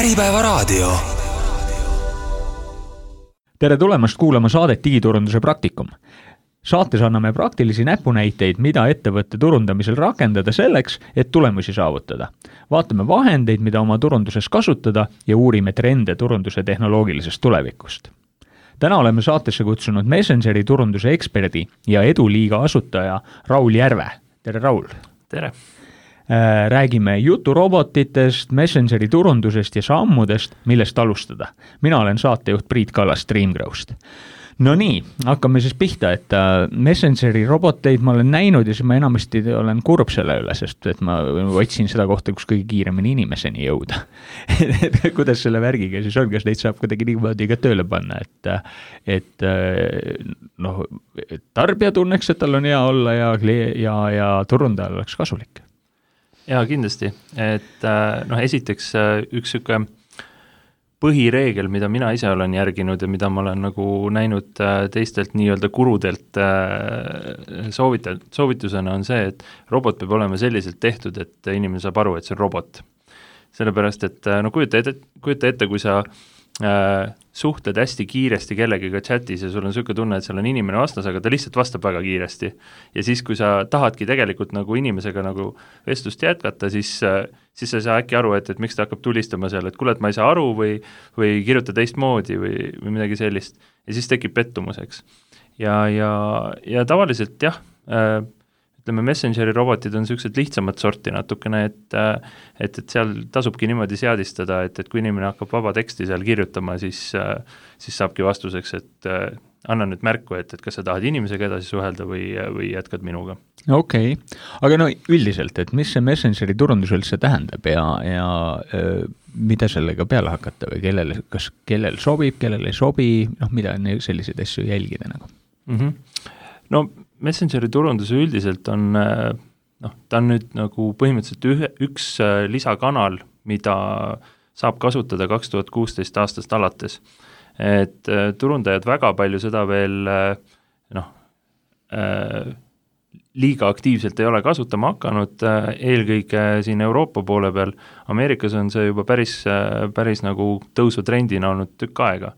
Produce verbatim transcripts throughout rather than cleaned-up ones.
Äripäevaraadio. Tere tulemast kuulama saadet Digiturunduse praktikum. Saates anname praktilisi näpunäiteid, mida ettevõtte turundamisel rakendada selleks, et tulemusi saavutada. Vaatame vahendeid, mida oma turunduses kasutada ja uurime trende turunduse tehnoloogilisest tulevikust. Täna oleme saatesse kutsunud Messengeri turunduse eksperdi ja Eduliiga asutaja Raul Järve. Tere, Raul! Tere! Räägime juturobotitest, Messengeri turundusest ja sammudest, millest alustada. Mina olen saatejuht Priit Kallas Streamgrowst. No nii, hakkame siis pihta, et Messengeri roboteid ma olen näinud ja siis ma enamasti olen kurb selle üle, sest et ma otsin seda kohta, kus kõige kiiremini inimeseni jõuda. Kuidas selle värgiga siis on, kas neid saab kuidagi niimoodi ka tööle panna, et, et noh, tarbija tunneks, et tal on hea olla ja, ja, ja turundajal oleks kasulik. Jaa, kindlasti. Et noh, esiteks üks süke põhireegel, mida mina ise olen järginud ja mida ma olen nagu näinud teistelt nii-öelda kurudelt soovitajalt, soovitusena on see, et robot peab olema selliselt tehtud, et inimene saab aru, et see on robot. Sellepärast, et no kujuta ette, kujuta ette kui sa äh, suhtled hästi kiiresti kellegiga chatis ja sul on süke tunne, et seal on inimene vastas, aga ta lihtsalt vastab väga kiiresti. Ja siis, kui sa tahadki tegelikult nagu inimesega nagu vestlust jätkata, siis, siis sa ei saa äkki aru, et, et miks ta hakkab tulistama seal, et kuule, et ma ei saa aru või, või kirjuta teistmoodi või, või midagi sellist. Ja siis tekib pettumuseks. Ja, ja, ja tavaliselt jah, äh, ütleme, Messengeri robotid on sellised lihtsamad sorti natukene, et, et, et seal tasubki niimoodi seadistada, et, et kui inimene hakkab vaba teksti seal kirjutama, siis, siis saabki vastuseks, et anna nüüd märku, et, et kas sa tahad inimesega edasi suhelda või, või jätkad minuga. Okei, okay. Aga no üldiselt, et mis see Messengeri turundus üldse tähendab ja, ja öö, mida sellega peale hakata või kellel, kas kellel sobib, kellel ei sobi, noh, mida selliseid asju jälgida nagu? Mm-hmm. No Messengeri turunduse üldiselt on, noh, ta on nüüd nagu põhimõtteliselt ühe, üks lisakanal, mida saab kasutada kaks tuhat kuusteist aastast alates. Et turundajad väga palju seda veel, noh, liiga aktiivselt ei ole kasutama hakanud, eelkõige siin Euroopa poole peal. Ameerikas on see juba päris, päris nagu tõusutrendina olnud tükk aega.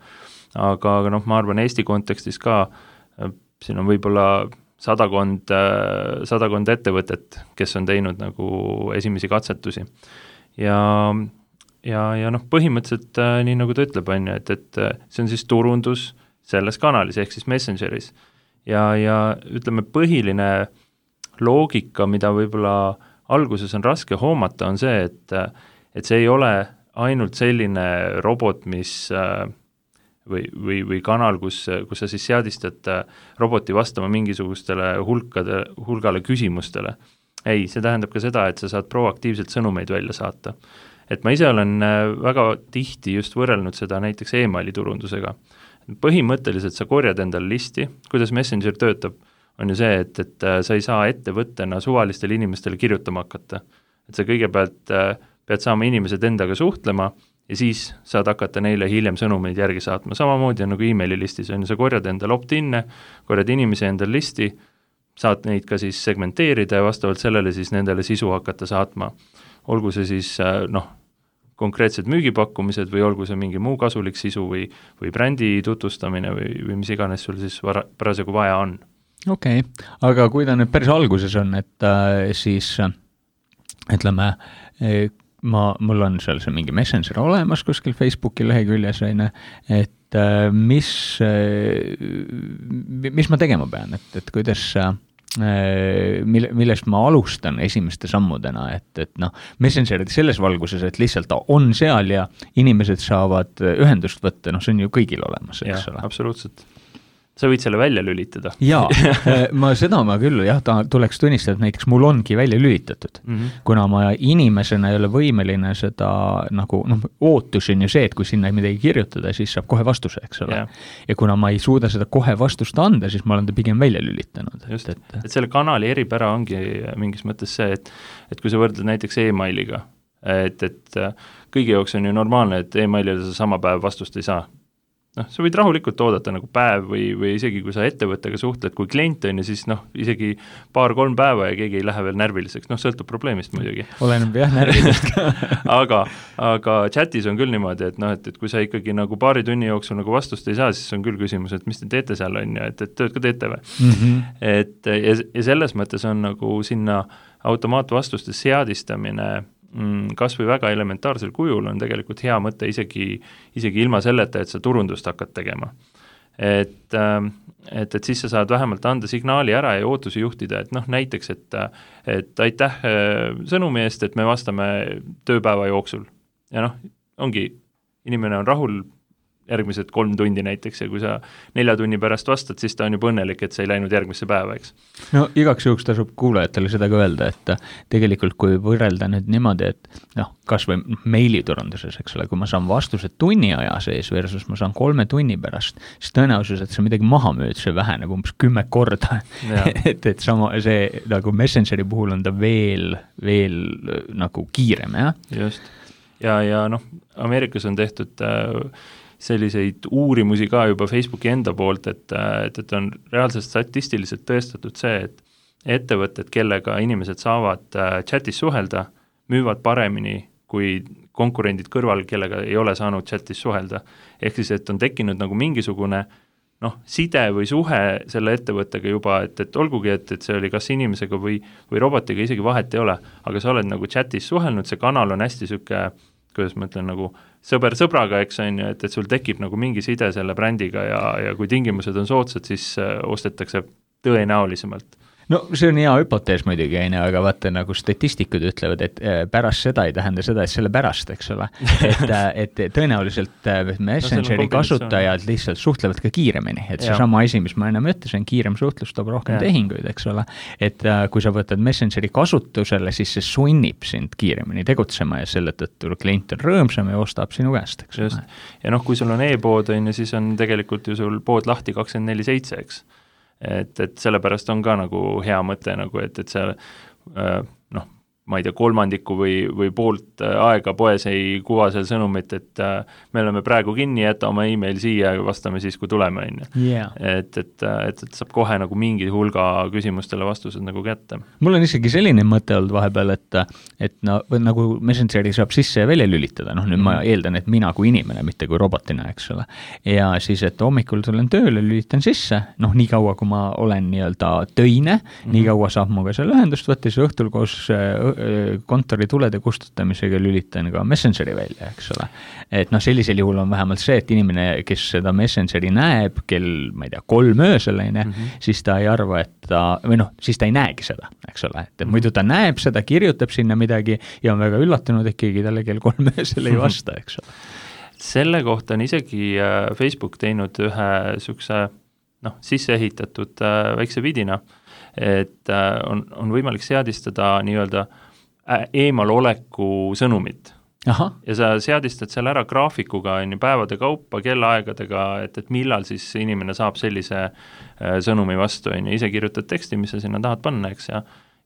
Aga, aga noh, ma arvan Eesti kontekstis ka, siin on võib-olla sadakond, sadakond ettevõtet, kes on teinud nagu esimesi katsetusi. Ja, ja, ja noh, põhimõtteliselt nii nagu ta ütleb, on ju, et, et see on siis turundus selles kanalis, ehk siis Messengeris. Ja, ja ütleme, põhiline loogika, mida võib-olla alguses on raske hoomata, on see, et, et see ei ole ainult selline robot, mis või, või, või kanal, kus, kus sa siis seadistad roboti vastama mingisugustele hulkade, hulgale küsimustele. Ei, see tähendab ka seda, et sa saad proaktiivselt sõnumeid välja saata. Et ma ise olen väga tihti just võrrelnud seda näiteks e-maili turundusega. Põhimõtteliselt sa korjad endale listi, kuidas Messenger töötab, on ju see, et, et sa ei saa ettevõttena suvalistele inimestele kirjutama hakata. Et sa kõigepealt pead saama inimesed endaga suhtlema, ja siis saad hakata neile hiljem sõnumeid järgi saatma. Samamoodi on nagu e-maili listis, on ju, sa korjad endale opt-in'e, korjad inimese endale listi, saad neid ka siis segmenteerida ja vastavalt sellele siis nendele sisu hakata saatma. Olgu see siis, noh, konkreetsed müügipakkumised või olgu see mingi muu kasulik sisu või, või brändi tutvustamine või, või mis iganes sul siis vara, parasjagu vaja on. Okei, okay. Aga kui ta nüüd päris alguses on, et äh, siis ütleme, äh, Ma, mul on seal see mingi Messenger olemas kuskil Facebooki leheküljes, et mis, mis ma tegema pean, et, et kuidas, mille, millest ma alustan esimeste sammudena, et, et noh, Messenger selles valguses, et lihtsalt ta on seal ja inimesed saavad ühendust võtta, noh, see on ju kõigil olemas, eks ole. Ja, absoluutselt. Sa võid selle välja lülitada. Jaa, ma seda ma küll, jah, ta tuleks tunnistada, et näiteks mul ongi välja lülitatud, mm-hmm. kuna ma inimesena ei ole võimeline seda, nagu, noh, ootus on ju see, et kui sinna midagi kirjutada, siis saab kohe vastuse, eks ole. Yeah. Ja kuna ma ei suuda seda kohe vastust anda, siis ma olen ta pigem välja lülitanud. Just, et, et, et selle kanali eripära ongi mingis mõttes see, et, et kui sa võrdled näiteks e-mailiga, et, et kõigi jaoks on ju normaalne, et e-mailile sa sama päev vastust ei saa. noh, sa võid rahulikult oodata nagu päev või, või isegi kui sa ettevõttega suhtled, kui klient on ja siis noh, isegi paar-kolm päeva ja keegi ei lähe veel närviliseks, noh, sõltub probleemist muidugi. Oleneb jah närvidest aga aga chatis on küll niimoodi, et noh, et, et kui sa ikkagi nagu paari tunni jooksul nagu vastust ei saa, siis on küll küsimus, et mis te teete seal, on ju, et, et tööd ka teete või mm. -hmm. Et ja, ja selles mõttes on nagu sinna automaatvastuste seadistamine mm, kas või väga elementaarsel kujul on tegelikult hea mõte isegi, isegi ilma selleta, et sa turundust hakkad tegema. Et, et, et siis sa saad vähemalt anda signaali ära ja ootusi juhtida, et noh, näiteks, et, et aitäh sõnumi eest, et me vastame tööpäeva jooksul. Ja noh, ongi, inimene on rahul järgmised kolm tundi näiteks ja kui sa nelja tunni pärast vastad, siis ta on juba õnnelik, et sa ei läinud järgmisse päeva, eks. No igaks juhuks tasub kuulajatele seda ka öelda, et tegelikult kui võrrelda nüüd niimoodi, et noh, kas või meiliturunduses, eks ole, kui ma saan vastused tunni aja sees versus ma saan kolme tunni pärast, siis tõenäosus, et sa midagi maha müüd, see väheneb umbes kümme korda. et, et sama see nagu Messengeri puhul on ta veel, veel nagu kiirem, jah? Just. Ja, ja noh, Ameerikas on tehtud äh, selliseid uurimusi ka juba Facebooki enda poolt, et, et, et on reaalselt statistiliselt tõestatud see, et ettevõtted, kellega inimesed saavad chatis suhelda, müüvad paremini kui konkurendid kõrval, kellega ei ole saanud chatis suhelda. Ehk siis, et on tekkinud nagu mingisugune noh, side või suhe selle ettevõttega juba, et, et olgugi, et, et see oli kas inimesega või, või robotiga isegi vahet ei ole, aga sa oled nagu chatis suhelnud, see kanal on hästi süke, kuidas ma ütlen, nagu sõber sõbraga, eks on ju, et, et sul tekib nagu mingi side selle brändiga ja, ja kui tingimused on soodsad, siis ostetakse tõenäolisemalt. No see on hea hüpotees muidugi, aga vaata nagu statistikud ütlevad, et pärast seda ei tähenda seda, et selle pärast, eks ole. Et, et tõenäoliselt Messengeri no, kasutajad lihtsalt suhtlevad ka kiiremini, et see sama asi, mis ma ennem ütlesin, kiirem suhtlus toob rohkem ja. tehinguid, eks ole. Et kui sa võtad Messengeri kasutusele, siis see sunnib sind kiiremini tegutsema ja selle tõttu klient on rõõmsam ja ostab sinu käest, eks ole. Ja noh, kui sul on e-pood, on, siis on tegelikult ju sul pood lahti kakskümmend neli seitse, eks. Et, et sellepärast on ka nagu hea mõte, nagu et, et see noh, ma ei tea, kolmandiku või, või poolt aega poes ei kuva seal sõnumit, et me oleme praegu kinni, jäta oma email siia ja vastame siis, kui tuleme. Yeah. Et, et, et, et saab kohe nagu mingi hulga küsimustele vastused nagu kätte. Mul on isegi selline mõte olnud vahepeal, et, et no, nagu Messengeri saab sisse ja välja lülitada, noh nüüd mm. ma eeldan, et mina kui inimene, mitte kui robotina, eks ole. Ja siis, et hommikul tulen tööle, lülitan sisse, noh nii kaua, kui ma olen nii-öelda töine, mm. nii kaua saab mu ka seal ühendust võtta, siis õhtul koos kontori tulede kustutamisega lülitan ka Messengeri välja, eks ole. Et noh, sellisel juhul on vähemalt see, et inimene, kes seda Messengeri näeb kell, ma ei tea, kolm öösel, mm-hmm. siis ta ei arva, et ta, või noh, siis ta ei näegi seda, eks ole. Et mm-hmm. muidu ta näeb seda, kirjutab sinna midagi ja on väga üllatunud, et keegi talle kell kolm öösel ei vasta, eks ole. Selle kohta on isegi Facebook teinud ühe sükse, noh, sisse ehitatud väikse vidina, et on, on võimalik seadistada nii-öelda eemaloleku sõnumit. Aha. Ja sa seadistad seal ära graafikuga on ju päevade kaupa, kellaaegadega, et, et millal siis inimene saab sellise sõnumi vastu, on ju, ise kirjutad teksti, mis sa sinna tahad panna, eks, ja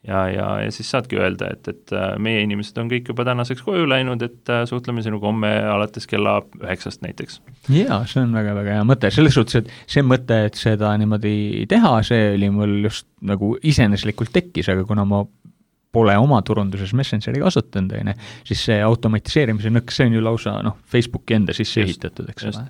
ja, ja, ja siis saadki öelda, et, et meie inimesed on kõik juba tänaseks koju läinud, et suhtleme sinuga homme alates kella üheksast näiteks. Jaa, see on väga-väga hea mõte, selles suhtes, et see mõte, et seda niimoodi teha, see oli mul just nagu iseeneslikult tekkis, aga kuna ma pole oma turunduses Messengeri kasutanud, siis see automatiseerimise nõks, see on ju lausa noh, Facebooki enda sisse ehitatud, eks ole.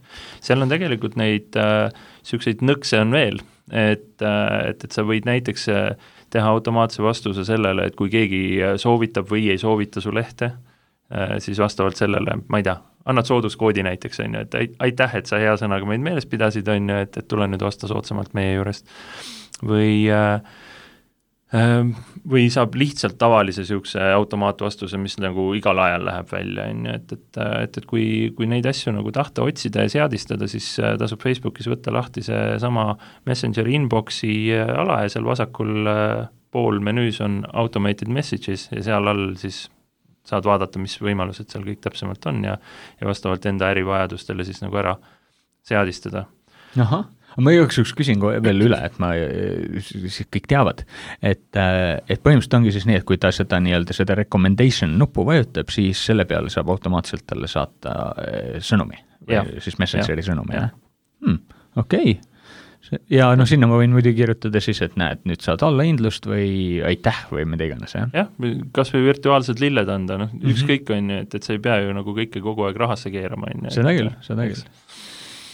Seal on tegelikult neid äh, sükseid nõkse on veel, et, äh, et, et sa võid näiteks äh, teha automaatse vastuse sellele, et kui keegi soovitab või ei soovita su lehte, äh, siis vastavalt sellele, ma ei tea, annad sooduskoodi näiteks, on ju, et aitäh, et sa hea sõnaga meid meeles pidasid, on ju, et, et tule nüüd vasta soodsamalt meie juurest. Või äh, või saab lihtsalt tavalise sihukese automaatvastuse, mis nagu igal ajal läheb välja, et, et, et, et kui, kui neid asju nagu tahta otsida ja seadistada, siis tasub Facebookis võtta lahti see sama Messengeri inboxi ala ja seal vasakul pool menüüs on automated messages ja seal all siis saad vaadata, mis võimalused seal kõik täpsemalt on ja, ja vastavalt enda ärivajadustele siis nagu ära seadistada. Ahah. Ma jõuks üks küsin veel üle, et ma siis kõik teavad, et, et põhimõtteliselt ongi siis nii, et kui ta seda nii-öelda seda recommendation nuppu vajutab, siis selle peale saab automaatselt talle saata sõnumi, ja, siis Messengeri sõnumi, jah? Hmm, okei, okay. ja noh, sinna ma võin muidugi kirjutada siis, et näed, nüüd saad allahindlust või aitäh või mida iganes, jah? jah, kas või virtuaalsed lilled anda, noh, mm-hmm. ükskõik on ju, et, et sa ei pea ju nagu kõike kogu aeg rahasse keerama, on ju. Seda küll, seda küll.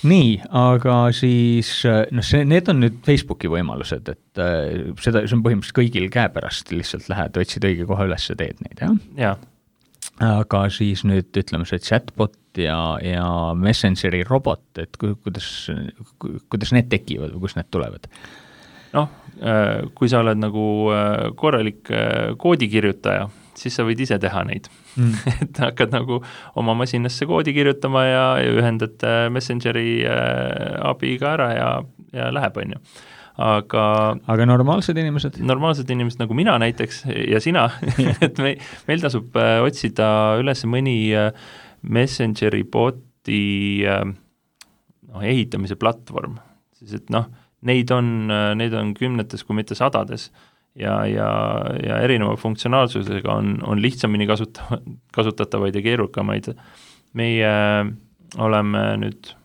Nii, aga siis, noh, see, need on nüüd Facebooki võimalused, et äh, seda, see on põhimõtteliselt kõigil käepärast, lihtsalt lähed, otsid õige koha üles ja teed neid, jah? Jaa. Aga siis nüüd ütleme see chatbot ja, ja Messengeri robot, et kuidas, kuidas need tekivad või kus need tulevad? Noh, kui sa oled nagu korralik koodikirjutaja, siis sa võid ise teha neid mm. et hakkad nagu oma masinasse koodi kirjutama ja, ja ühendad Messengeri abiga ära ja, ja läheb, on ju. Aga, aga normaalsed inimesed? Normaalsed inimesed nagu mina näiteks ja sina, et me, meil tasub äh, otsida üles mõni äh, Messengeri boti äh, no, ehitamise platvorm, siis et noh, neid on, äh, neid on kümnetes, kui mitte sadades ja, ja, ja erineva funktsionaalsusega on, on lihtsamini kasuta, kasutatavaid ja keerukamaid. Meie äh, oleme nüüd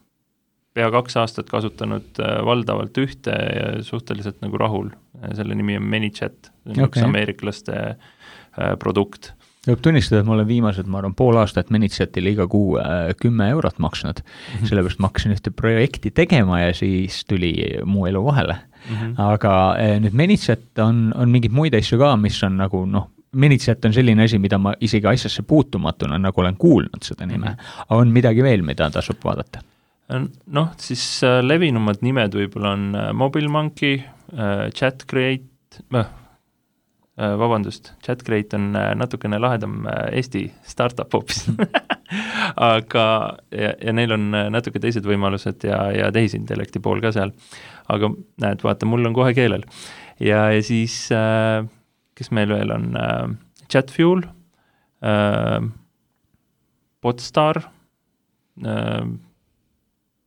pea kaks aastat kasutanud valdavalt ühte ja suhteliselt nagu rahul. Selle nimi on ManyChat, see on okay. Üks ameeriklaste produkt. Võib tunnistada, et ma olen viimased, ma arvan, pool aastat ManyChatile iga kuu kümme eurot maksnud, mm-hmm. sellepärast ma hakkasin ühte projekti tegema ja siis tuli muu elu vahele. Mm-hmm. Aga nüüd ManyChat on, on mingeid muid asju ka, mis on nagu noh, ManyChat on selline asi, mida ma isegi asjasse puutumatuna nagu olen kuulnud seda nime. Mm-hmm. On midagi veel, mida tasub vaadata? Noh, siis levinumad nimed võib-olla on MobileMonkey, ChatCreate, äh, vabandust, ChatCreate on natukene lahedam Eesti startup hoopis aga ja, ja neil on natuke teised võimalused ja, ja tehisintellekti pool ka seal. Aga näed, vaata, mul on kohe keelel. Ja, ja siis, äh, kes meil veel on, äh, Chatfuel, äh, Podstar, äh,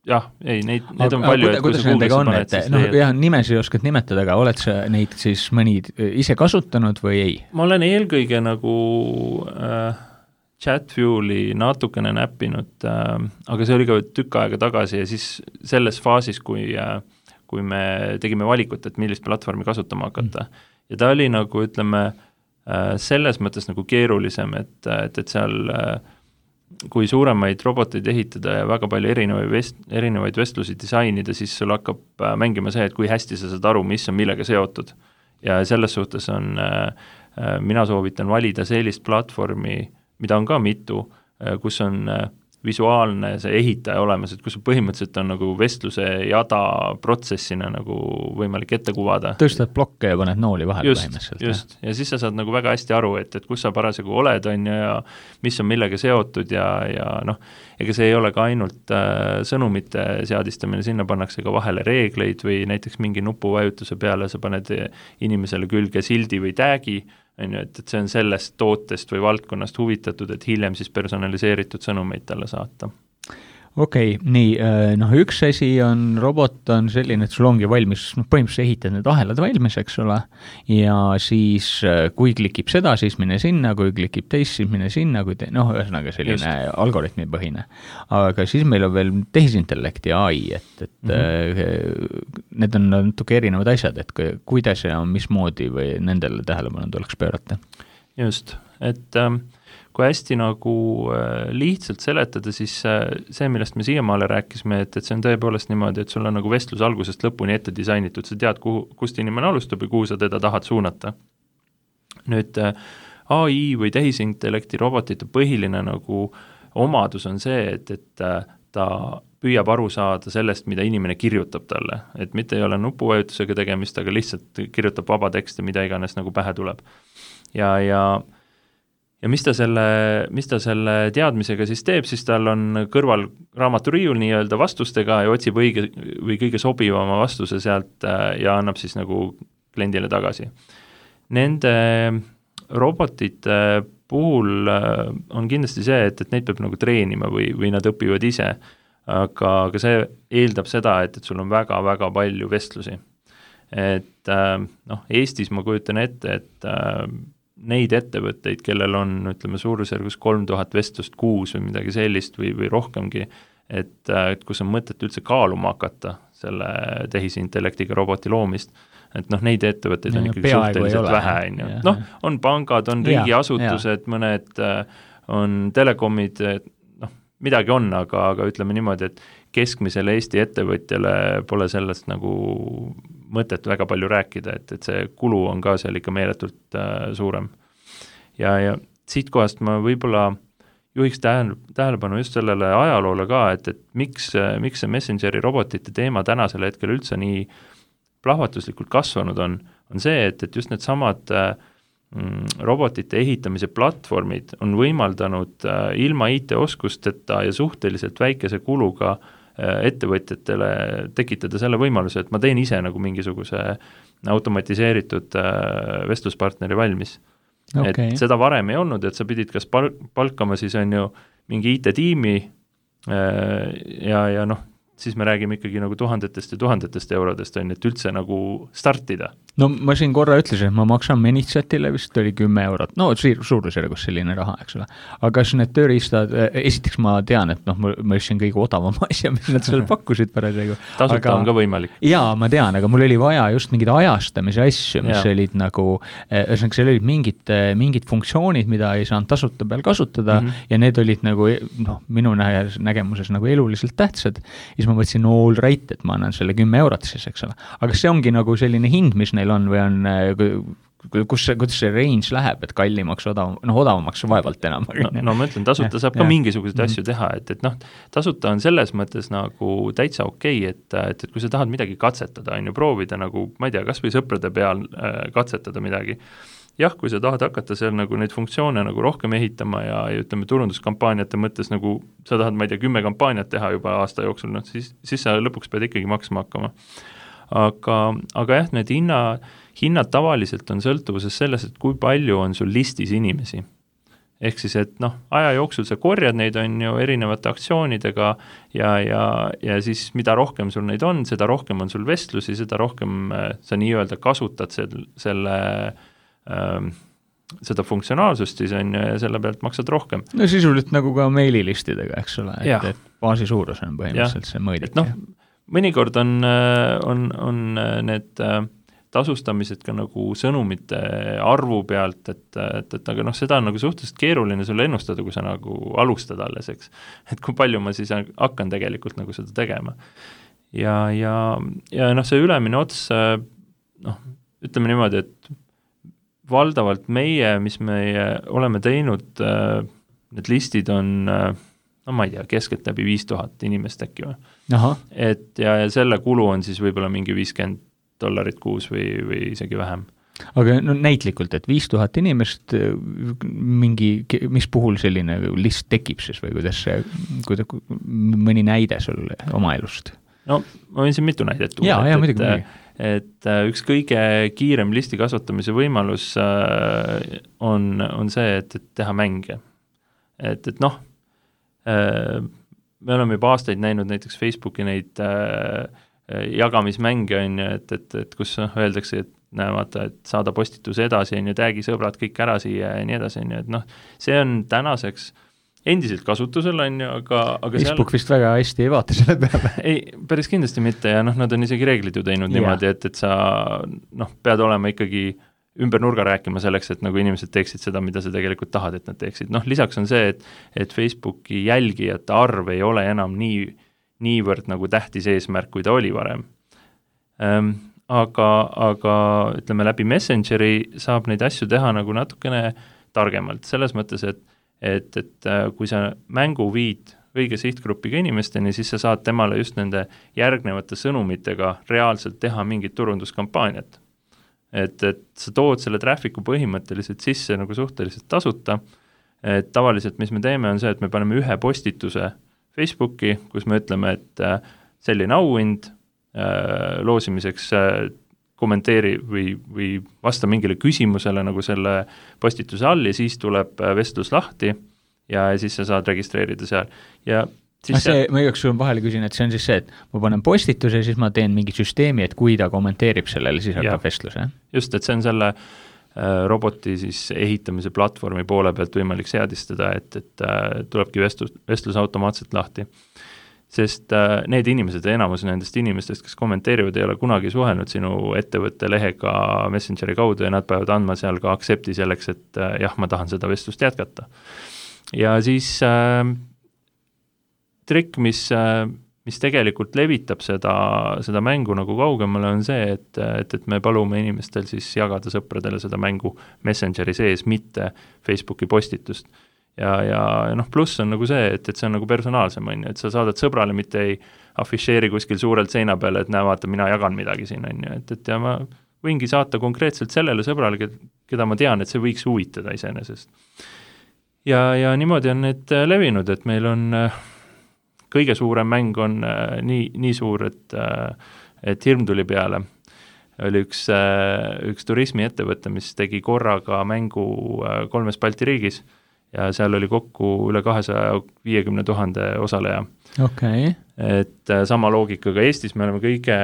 jah, ei, neid, neid on palju. Kuda, kuidas nendega on, et noh, jah, nimesi oskad nimetada, aga oled sa neid siis mõni ise kasutanud või ei? Ma olen eelkõige nagu äh, Chatfueli natukene näppinud, äh, aga see oli ka tükk aega tagasi ja siis selles faasis, kui, äh, kui me tegime valikut, et millist platvormi kasutama hakata. Mm. Ja ta oli nagu, ütleme, äh, selles mõttes nagu keerulisem, et, et, et seal äh, kui suuremaid roboteid ehitada ja väga palju erinevaid, vest, erinevaid vestlusi disainida, siis sul hakkab mängima see, et kui hästi sa saad aru, mis on millega seotud. Ja selles suhtes on, mina soovitan valida sellist platvormi, mida on ka mitu, kus on visuaalne see ehitaja olemas, et kus põhimõtteliselt on nagu vestluse jada protsessina nagu võimalik ette kuvada. Tõstad blokke ja paned nooli vahel just, põhimõtteliselt. Just, ja siis sa saad nagu väga hästi aru, et, et kus sa parasjagu oled, on ja mis on millega seotud ja, ja noh, ega see ei ole ka ainult äh, sõnumite seadistamine, sinna pannakse ka vahele reegleid või näiteks mingi nupuvajutuse peale sa paned inimesele külge sildi või täägi, on ju, et, et see on sellest tootest või valdkonnast huvitatud, et hiljem siis personaliseeritud sõnumeid talle saata. Okei, okay, nii, noh üks asi on, robot on selline, et sul ongi valmis, noh põhimõtteliselt ehitad need ahelad valmis, eks ole, ja siis kui klikib seda, siis mine sinna, kui klikib teist, siis mine sinna, kui te, noh, ühesõnaga selline Just. Algoritmi põhine. Aga siis meil on veel tehisintellekti A I, et, et mm-hmm. need on natuke erinevad asjad, et kuidas ja mismoodi või nendele tähelepanu tuleks pöörata. Just, et ähm, kui hästi nagu äh, lihtsalt seletada, siis äh, see, millest me siiamaale rääkisime, et, et see on tõepoolest niimoodi, et sul on nagu vestlus algusest lõpuni ette disainitud, sa tead, kuhu, kust inimene alustab ja kuhu sa teda tahad suunata. Nüüd äh, A I või tehisintellekti robotite põhiline nagu omadus on see, et, et äh, ta püüab aru saada sellest, mida inimene kirjutab talle, et mitte ei ole nupuvajutusega tegemist, aga lihtsalt kirjutab vaba tekste, mida iganes nagu pähe tuleb. Ja, ja Ja mis ta, selle, mis ta selle teadmisega siis teeb, siis tal on kõrval raamaturiiul nii-öelda vastustega ja otsib õige või kõige sobivama vastuse sealt ja annab siis nagu kliendile tagasi. Nende robotite puhul on kindlasti see, et, et neid peab nagu treenima või, või nad õpivad ise, aga, aga see eeldab seda, et, et sul on väga-väga palju vestlusi. Et noh, Eestis ma kujutan ette, et neid ettevõtteid, kellel on, ütleme, suurusjärgus kolm tuhat vestlust kuus või midagi sellist või, või rohkemgi, et, et kus on mõtet üldse kaaluma hakata selle tehisintellektiga roboti loomist, et noh, neid ettevõtteid on Ja, ikkagi peaaegu suhteliselt ei ole, vähe, on ju. Noh, on pangad, on riigiasutused, mõned on telekomid, noh, midagi on, aga, aga ütleme niimoodi, et keskmisele Eesti ettevõtjale pole sellest nagu mõtet väga palju rääkida, et, et see kulu on ka seal ikka meeletult äh, suurem. Ja, ja siit kohast ma võib-olla juhiks tähele, tähelepanu just sellele ajaloole ka, et, et miks, miks see Messengeri robotite teema tänasel hetkel üldse nii plahvatuslikult kasvanud on, on see, et, et just need samad mm, robotite ehitamise platvormid on võimaldanud äh, ilma I T-oskusteta ja suhteliselt väikese kuluga äh, ettevõtjatele tekitada selle võimaluse, et ma teen ise nagu mingisuguse automatiseeritud äh, vestluspartneri valmis. Okay. Et seda varem ei olnud, et sa pidid kas pal- palkama siis on ju mingi I T-tiimi äh, ja, ja noh, siis me räägime ikkagi nagu tuhandetest ja tuhandetest eurodest, on, et üldse nagu startida. No ma siin korra ütlesin, et ma maksan Manychatile vist oli kümme eurot, no suurusjärgus selline raha, eks ole. Aga kas need tööriistad, esiteks ma tean, et noh, ma ütlesin kõige odavam asja, mis nad seal pakkusid parasjagu. Tasuta aga, on ka võimalik. Jaa, ma tean, aga mul oli vaja just mingid ajastamise asju, mis ja. olid nagu, ühesõnaga seal olid mingid, mingid funktsioonid, mida ei saanud tasuta peal kasutada mm -hmm. ja need olid nagu, noh, minu nägemuses nagu eluliselt tähtsad. Ja ma mõtlesin, no all right, et ma annan selle kümme eurot siis, eks ole. Aga see ongi nagu selline hind, mis neil on või on, kus see, kuidas see range läheb, et kallimaks, odav, noh, odavamaks vaevalt enam. No, no ma ütlen, tasuta ja, saab ja. ka mingisuguseid asju teha, et, et noh, tasuta on selles mõttes nagu täitsa okei, okay, et, et, et kui sa tahad midagi katsetada, on ju, proovida nagu, ma ei tea, kas või sõprade peal äh, katsetada midagi. Jah, kui sa tahad hakata seal nagu neid funktsioone nagu rohkem ehitama ja, ja ütleme turunduskampaaniate mõttes nagu sa tahad, ma ei tea, kümme kampaaniat teha juba aasta jooksul, no siis, siis sa lõpuks pead ikkagi maksma hakkama. Aga, aga jah, need hinna, hinnad tavaliselt on sõltuvuses selles, et kui palju on sul listis inimesi. Ehk siis, et noh, aja jooksul sa korjad neid on ju erinevate aktsioonidega ja, ja, ja siis mida rohkem sul neid on, seda rohkem on sul vestlusi, seda rohkem sa nii-öelda kasutad selle, selle seda funktsionaalsust siis on ja selle pealt maksad rohkem. No sisuliselt nagu ka meililistidega, eks ole, et, et baasi suurus on põhimõtteliselt ja. see mõõdik. No, mõnikord on, on, on need tasustamised ka nagu sõnumite arvu pealt, et, et, et aga noh, seda on nagu suhteliselt keeruline sulle ennustada, kui sa nagu alustad alles, eks. Et kui palju ma siis hakkan tegelikult nagu seda tegema. Ja, ja, ja noh, see ülemine ots, noh, ütleme niimoodi, et valdavalt meie, mis me oleme teinud, need listid on, no ma ei tea, keskelt läbi viis tuhat inimest äkki või. Aha. Et ja, ja selle kulu on siis võib-olla mingi viiskümmend dollarit kuus või, või isegi vähem. Aga no näitlikult, et viis tuhat inimest mingi, mis puhul selline list tekib siis või kuidas see, kuidas, mõni näide sul oma elust? No ma võin siin mitu näidet tuua. Jaa, jaa, muidugi, muidugi. Et üks kõige kiirem listi kasvatamise võimalus on, on see, et, et teha mänge. Et, et noh, me oleme juba aastaid näinud näiteks Facebooki neid jagamismänge, on ju, et, et, et kus öeldakse, et näe, vaata, et saada postituse edasi, on ju, täägi sõbrad kõik ära siia ja nii edasi, on ju, et noh, see on tänaseks endiselt kasutusel on ju, aga, aga Facebook seal... vist väga hästi ei vaata selle peale. ei, päris kindlasti mitte ja noh, nad on isegi reeglid ju teinud yeah. niimoodi, et, et sa noh, pead olema ikkagi ümber nurga rääkima selleks, et nagu inimesed teeksid seda, mida sa tegelikult tahad, et nad teeksid. Noh, lisaks on see, et, et Facebooki jälgijate arv ei ole enam nii, niivõrd nagu tähtis eesmärk, kui ta oli varem. Ähm, aga, aga ütleme, läbi Messengeri saab neid asju teha nagu natukene targemalt, selles mõttes, et et, et kui sa mängu viid õige sihtgrupiga inimesteni, siis sa saad temale just nende järgnevate sõnumitega reaalselt teha mingit turunduskampaaniat. Et, et sa tood selle traffiku põhimõtteliselt sisse nagu suhteliselt tasuta, et tavaliselt mis me teeme on see, et me paneme ühe postituse Facebooki, kus me ütleme, et selline auhind loosimiseks kommenteeri või, või vasta mingile küsimusele nagu selle postituse all ja siis tuleb vestlus lahti ja siis sa saad registreerida seal. Ja siis see, ma igaks sul vahele küsin, et see on siis see, et ma panen postituse ja siis ma teen mingi süsteemi, et kui ta kommenteerib sellele, siis hakkab vestlus, jah? Just, et see on selle äh, roboti siis ehitamise platvormi poole pealt võimalik seadistada, et, et äh, tulebki vestlus, vestlus automaatselt lahti. sest äh, need inimesed, enamus nendest inimestest, kes kommenteerivad, ei ole kunagi suhelnud sinu ettevõtte lehega Messengeri kaudu ja nad peavad andma seal ka accept'i selleks, et äh, jah, ma tahan seda vestlust jätkata. Ja siis äh, trikk, mis, äh, mis tegelikult levitab seda, seda mängu nagu kaugemale, on see, et, et, et me palume inimestel siis jagada sõpradele seda mängu Messengeri sees, mitte Facebooki postitust. Ja, ja noh, pluss on nagu see, et, et see on nagu personaalsem, on ju, et sa saadad sõbrale, mitte ei afišeeri kuskil suurelt seina peale, et näe, vaata, mina jagan midagi siin, on ju, et, et ja ma võingi saata konkreetselt sellele sõbrale, keda ma tean, et see võiks huvitada iseenesest. Ja, ja niimoodi on need levinud, et meil on kõige suurem mäng on nii, nii suur, et, et hirm tuli peale. Oli üks, üks turismiettevõte, mis tegi korraga mängu kolmes Balti riigis, ja seal oli kokku üle kahesaja viiekümne tuhande osaleja. Okay. Et sama loogikaga Eestis me oleme kõige,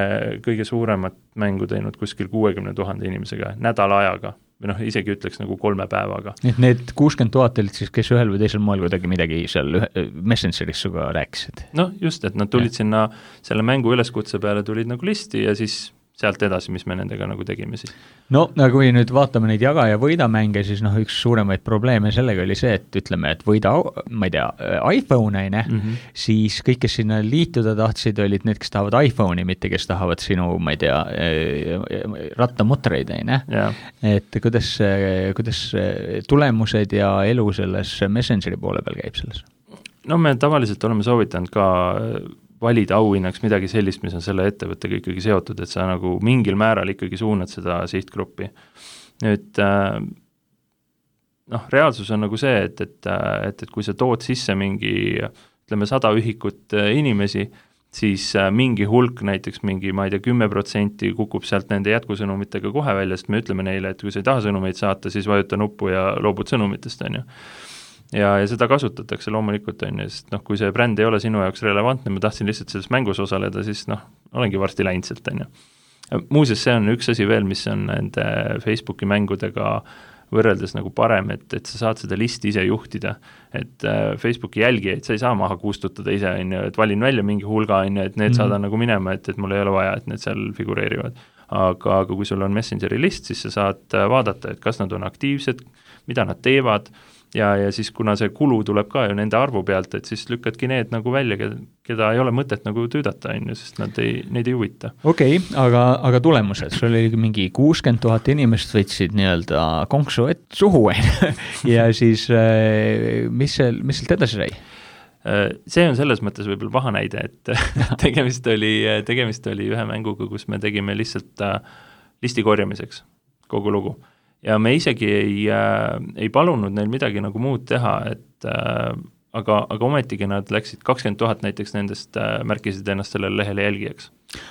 kõige suuremat mängu teinud kuskil kuuekümne tuhande inimesega, nädala ajaga, või noh, isegi ütleks nagu kolme päevaga. Et need kuuskümmend tuhat olid siis, kes ühel või teisel moel kuidagi midagi seal Messengeris suga rääkisid? No just, et nad tulid ja. Sinna selle mängu üleskutse peale, tulid nagu listi ja siis sealt edasi, mis me nendega nagu tegime siis. No, kui nüüd vaatame neid jaga- ja võidamänge, siis noh, üks suuremaid probleeme sellega oli see, et ütleme, et võida, ma ei tea, iPhone, ne? Mm -hmm. siis kõik, kes sinna liituda tahtsid, olid need, kes tahavad iPhone'i, mitte kes tahavad sinu, ma ei tea, rattamutreid, ne? Yeah. Et kuidas, kuidas tulemused ja elu selles Messengeri poole peal käib selles? No me tavaliselt oleme soovitanud ka valida auhinnaks midagi sellist, mis on selle ettevõttega ikkagi seotud, et sa nagu mingil määral ikkagi suunad seda sihtgruppi. Nüüd, noh, reaalsus on nagu see, et, et, et, et kui sa tood sisse mingi, ütleme, sada ühikut inimesi, siis mingi hulk, näiteks mingi, ma ei tea, kümme protsenti kukub sealt nende jätkusõnumitega kohe välja, sest me ütleme neile, et kui sa ei taha sõnumeid saata, siis vajuta nuppu ja loobud sõnumitest, on ju. Ja, ja seda kasutatakse loomulikult, on ju, sest noh, kui see bränd ei ole sinu jaoks relevantne, ma tahtsin lihtsalt selles mängus osaleda, siis noh, olengi varsti läinud sealt, on ju. Muuseas, see on üks asi veel, mis on nende Facebooki mängudega võrreldes nagu parem, et, et sa saad seda listi ise juhtida, et Facebooki jälgijaid sa ei saa maha kustutada ise, on ju, et valin välja mingi hulga, on ju, et need mm-hmm. saadan nagu minema, et, et mul ei ole vaja, et need seal figureerivad. Aga, aga kui sul on Messengeri list, siis sa saad vaadata, et kas nad on aktiivsed, mida nad teevad, ja, ja siis kuna see kulu tuleb ka ju nende arvu pealt, et siis lükkadki need nagu välja, keda, keda ei ole mõtet nagu tüüdata, on ju, sest nad ei, neid ei huvita. Okei, okay, aga, aga tulemused, sul oli mingi kuuskümmend tuhat inimest võtsid nii-öelda konksu et suhu, ja siis mis, see, mis sealt edasi sai? See on selles mõttes võib-olla paha näide, et tegemist oli, tegemist oli ühe mänguga, kus me tegime lihtsalt listi korjamiseks kogu lugu. Ja me isegi ei, äh, ei palunud neil midagi nagu muud teha, et äh, aga, aga ometigi nad läksid kakskümmend tuhat näiteks nendest äh, märkisid ennast sellele lehele jälgijaks.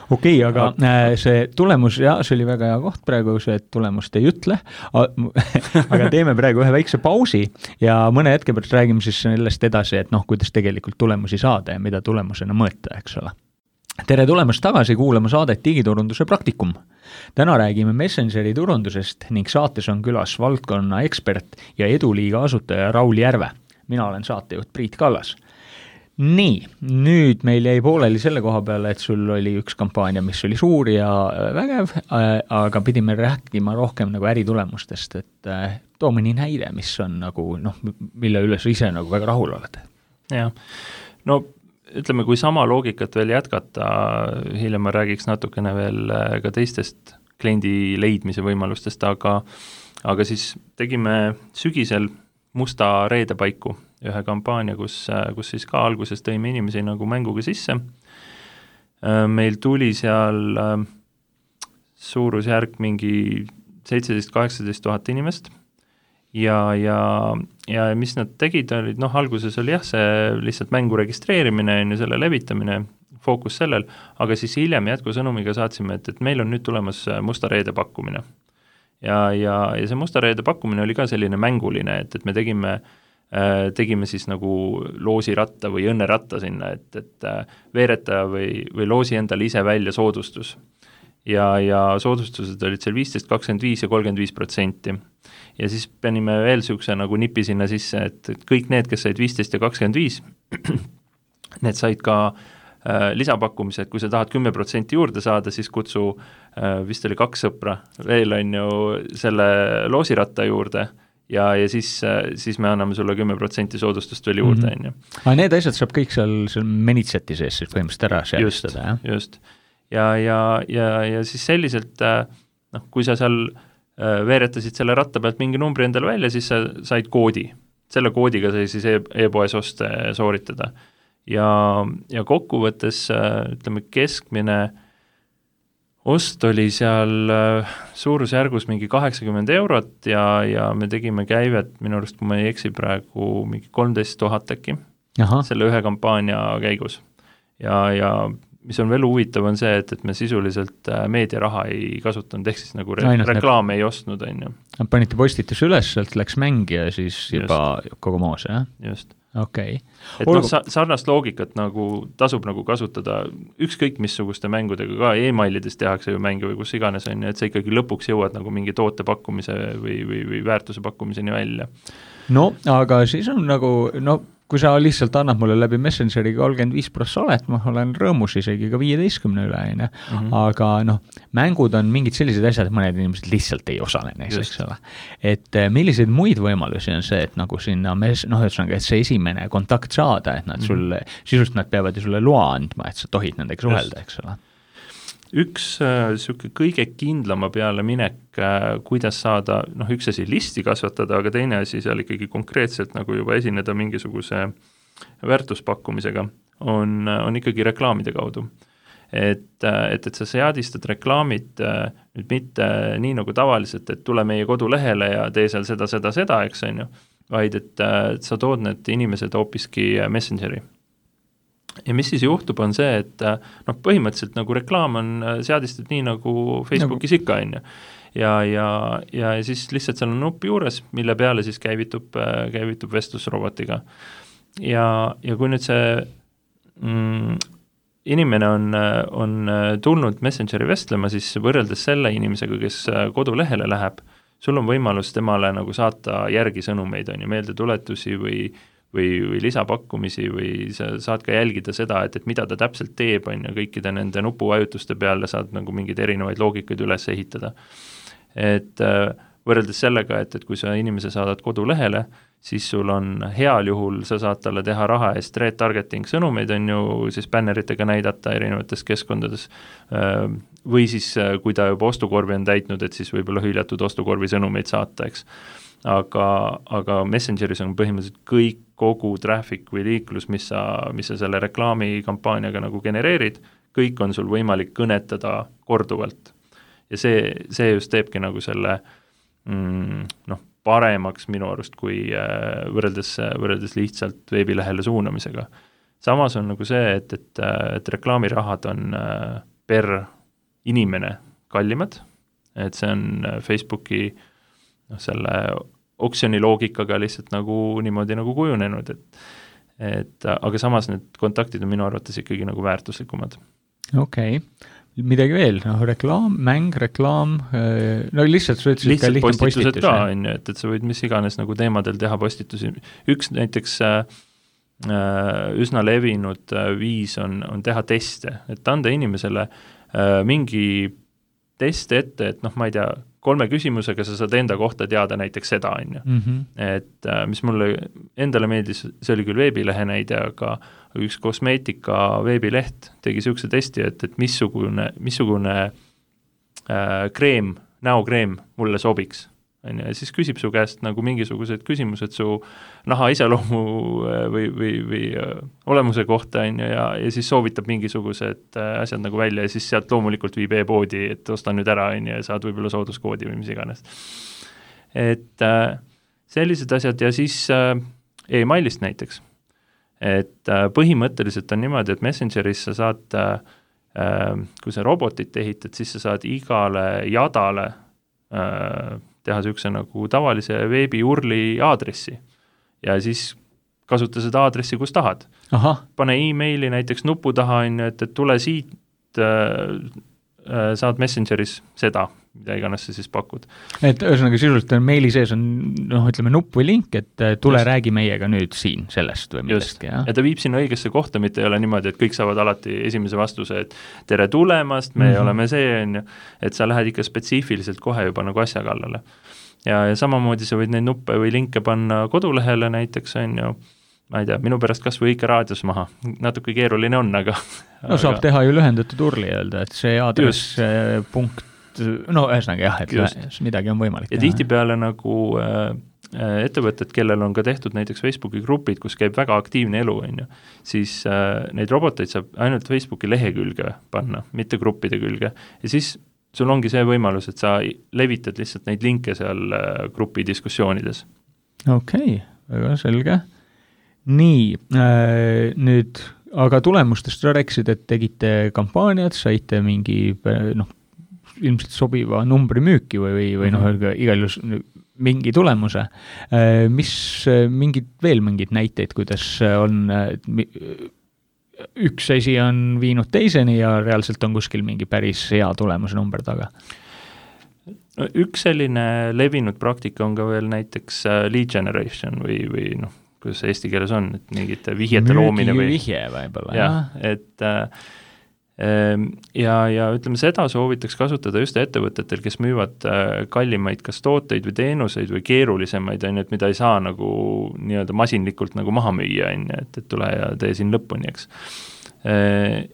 Okei, okay, aga äh, see tulemus, jah, see oli väga hea koht praegu, see tulemust ei ütle, aga teeme praegu ühe väikse pausi ja mõne hetke pärast räägime siis sellest edasi, et noh, kuidas tegelikult tulemusi saada ja mida tulemusena mõõta, eks ole. Tere tulemast tagasi kuulama saadet Digiturunduse praktikum. Täna räägime Messengeri turundusest ning saates on külas valdkonna ekspert ja Eduliiga asutaja Raul Järve. Mina olen saatejuht Priit Kallas. Nii, nüüd meil jäi pooleli selle koha peale, et sul oli üks kampaania, mis oli suur ja vägev, aga pidime rääkima rohkem nagu äritulemustest, et too mõni näide, mis on nagu, noh, mille üle sa ise nagu väga rahul oled. Jah, no ütleme, kui sama loogikat veel jätkata, hiljem ma räägiks natukene veel ka teistest kliendi leidmise võimalustest, aga, aga siis tegime sügisel musta reede paiku ühe kampaania, kus, kus siis ka alguses tõime inimesi nagu mänguga sisse. Meil tuli seal suurusjärk mingi seitseteist kaheksateist tuhat inimest. Ja, ja, ja mis nad tegid, olid, noh, alguses oli jah, see lihtsalt mängu registreerimine ja selle levitamine, fookus sellel, aga siis hiljem jätkusõnumiga saatsime, et, et meil on nüüd tulemas musta reede pakkumine. Ja, ja, ja see musta reede pakkumine oli ka selline mänguline, et, et me tegime, tegime siis nagu loosiratta või õnneratta sinna, et, et veeretaja või, või loosi endale ise välja soodustus. Ja, ja soodustused olid seal viisteist, kakskümmend viis ja kolmkümmend viis protsenti. Ja siis panime veel sükse nagu nipi sinna sisse, et, et kõik need, kes said viisteist ja kakskümmend viis, need said ka äh, lisapakkumised, kui sa tahad kümme protsenti juurde saada, siis kutsu äh, vist oli kaks sõpra veel on ju selle loosiratta juurde ja, ja siis, siis me anname sulle kümme protsenti soodustust veel juurde, on ju. Aga need asjad saab kõik seal, seal Menitseti sees siis põhimõtteliselt ära seadistada, jah? Just, ja, ja, ja, ja siis selliselt, noh, kui sa seal veeretasid selle ratta pealt mingi numbri endale välja, siis sa said koodi. Selle koodiga sai siis e- e-poes oste sooritada. Ja, ja kokkuvõttes, ütleme, keskmine ost oli seal suurusjärgus mingi kaheksakümmend eurot ja, ja me tegime käivet, minu arust, kui ma ei eksi praegu, mingi kolmteist tuhat äkki selle ühe kampaania käigus. Ja, ja mis on veel huvitav, on see, et, et me sisuliselt meediaraha ei kasutanud, ehk siis nagu re- Ainult reklaame ei ostnud, on ju. Panite postituse üles, sealt läks mängi ja siis juba Just. kogu moos, jah? Just. Okei. Okay. Et noh, sarnast loogikat nagu tasub nagu kasutada ükskõik missuguste mängudega ka, e-mailides tehakse ju mänge või kus iganes on ju, et sa ikkagi lõpuks jõuad nagu mingi toote pakkumise või, või, või väärtuse pakkumiseni välja. No, aga siis on nagu, no kui sa lihtsalt annad mulle läbi Messengeri kolmkümmend viis prossa olet, ma olen rõõmus isegi ka viieteistkümne üle, on ju. Aga noh, mängud on mingid sellised asjad, et mõned inimesed lihtsalt ei osale neis, eks ole. Et milliseid muid võimalusi on see, et nagu sinna, noh, ütlesõnaga, et see esimene kontakt saada, et nad sulle, mm-hmm. sisust nad peavad ju sulle loa andma, et sa tohid nendega suhelda, eks ole. Üks äh, siuke kõige kindlama peale minek, äh, kuidas saada, noh, üks asi listi kasvatada, aga teine asi seal ikkagi konkreetselt nagu juba esineda mingisuguse väärtuspakkumisega, on, on ikkagi reklaamide kaudu. Et, et, et sa seadistad reklaamid äh, nüüd mitte nii nagu tavaliselt, et tule meie kodulehele ja tee seal seda, seda, seda, eks on ju, vaid et, et sa tood need inimesed hoopiski Messengeri. Ja mis siis juhtub, on see, et noh, põhimõtteliselt nagu reklaam on seadistud nii nagu Facebookis ikka, on ju. Ja, ja, ja siis lihtsalt seal on nupp juures, mille peale siis käivitub, käivitub vestlusrobotiga. Ja, ja kui nüüd see mm, inimene on, on tulnud Messengeri vestlema, siis võrreldes selle inimesega, kes kodulehele läheb, sul on võimalus temale nagu saata järgi sõnumeid, on ju, meeldetuletusi või või, või lisapakkumisi või sa saad ka jälgida seda, et, et mida ta täpselt teeb, on ju, kõikide nende nupuvajutuste peale saad nagu mingeid erinevaid loogikaid üles ehitada. Et võrreldes sellega, et, et kui sa inimese saadad kodulehele, siis sul on heal juhul, sa saad talle teha raha eest retargeting sõnumeid, on ju, siis bänneritega näidata erinevates keskkondades, või siis kui ta juba ostukorvi on täitnud, et siis võib-olla hüljatud ostukorvi sõnumeid saata, eks. Aga, aga Messengeris on põhimõtteliselt kõik, kogu traffic või liiklus, mis sa, mis sa selle reklaamikampaaniaga nagu genereerid, kõik on sul võimalik kõnetada korduvalt. Ja see, see just teebki nagu selle mm, noh, paremaks minu arust, kui äh, võrreldes, võrreldes lihtsalt veebilehele suunamisega. Samas on nagu see, et, et, et reklaamirahad on äh, per inimene kallimad, et see on Facebooki noh, selle oksjoni loogikaga lihtsalt nagu niimoodi nagu kujunenud, et, et aga samas need kontaktid on minu arvates ikkagi nagu väärtuslikumad. Okei, okay. Midagi veel, noh, reklaam, mäng, reklaam, no lihtsalt sa ütlesid lihtsalt ka postitused postitus, ka, on ju, et, et sa võid mis iganes nagu teemadel teha postitusi. Üks näiteks äh, üsna levinud äh, viis on, on teha teste, et anda inimesele äh, mingi test ette, et noh, ma ei tea, kolme küsimusega sa saad enda kohta teada näiteks seda, on ju. Mm-hmm. Et äh, mis mulle endale meeldis, see oli küll veebilehe näide, aga üks kosmeetika veebileht tegi siukse testi, et, et missugune, missugune äh, kreem, näokreem mulle sobiks. On ju, ja siis küsib su käest nagu mingisugused küsimused su naha iseloomu või, või, või olemuse kohta, on ju, ja, ja siis soovitab mingisugused asjad nagu välja ja siis sealt loomulikult viib e-poodi, et osta nüüd ära, on ju, ja saad võib-olla sooduskoodi või mis iganes. Et äh, sellised asjad ja siis äh, e-mailist näiteks. Et äh, põhimõtteliselt on niimoodi, et Messengeris sa saad, äh, kui sa robotit ehitad, siis sa saad igale jadale äh, teha siukse nagu tavalise veebiurli aadressi ja siis kasuta seda aadressi, kus tahad. Aha. Pane e-maili näiteks nupu taha, et, et tule siit, äh, saad Messengeris seda mida iganes sa siis pakud. Et ühesõnaga sisuliselt meili sees on, noh, ütleme nupp või link, et tule just. Räägi meiega nüüd siin sellest või millestki. Ja ta viib sinna õigesse kohta, mitte ei ole niimoodi, et kõik saavad alati esimese vastuse, et tere tulemast, me mm-hmm. oleme see, on ju, et sa lähed ikka spetsiifiliselt kohe juba nagu asja kallale. Ja, ja samamoodi sa võid neid nuppe või linke panna kodulehele näiteks, on ju, ma ei tea, minu pärast kas või ikka raadios maha, natuke keeruline on, aga no saab aga... teha ju lühendatud urli öelda, et see aadress punkt, no ühesõnaga jah, et just. Midagi on võimalik ja teha. Ja tihtipeale nagu äh, ettevõtted, kellel on ka tehtud näiteks Facebooki grupid, kus käib väga aktiivne elu, on ju, siis äh, neid roboteid saab ainult Facebooki lehekülge panna, mitte gruppide külge ja siis sul ongi see võimalus, et sa levitad lihtsalt neid linke seal äh, grupi diskussioonides. Okei, okay, väga selge. Nii, äh, nüüd, aga tulemustest rääkisid, et tegite kampaaniad, saite mingi, noh, ilmselt sobiva numbri müüki või, või, või noh, igal juhul mingi tulemuse. Äh, mis, mingid, veel mingid näiteid, kuidas on, üks asi on viinud teiseni ja reaalselt on kuskil mingi päris hea tulemuse number taga? No, üks selline levinud praktika on ka veel näiteks lead generation või, või noh, kuidas eesti keeles on, et mingite vihjete loomine või vihje võib-olla, jah. Et äh, ja, ja ütleme, seda soovitaks kasutada just ettevõtetel, kes müüvad äh, kallimaid kas tooteid või teenuseid või keerulisemaid, on ju, et mida ei saa nagu nii-öelda masinlikult nagu maha müüa, on ju, et, et tule ja tee siin lõpuni, eks. Äh,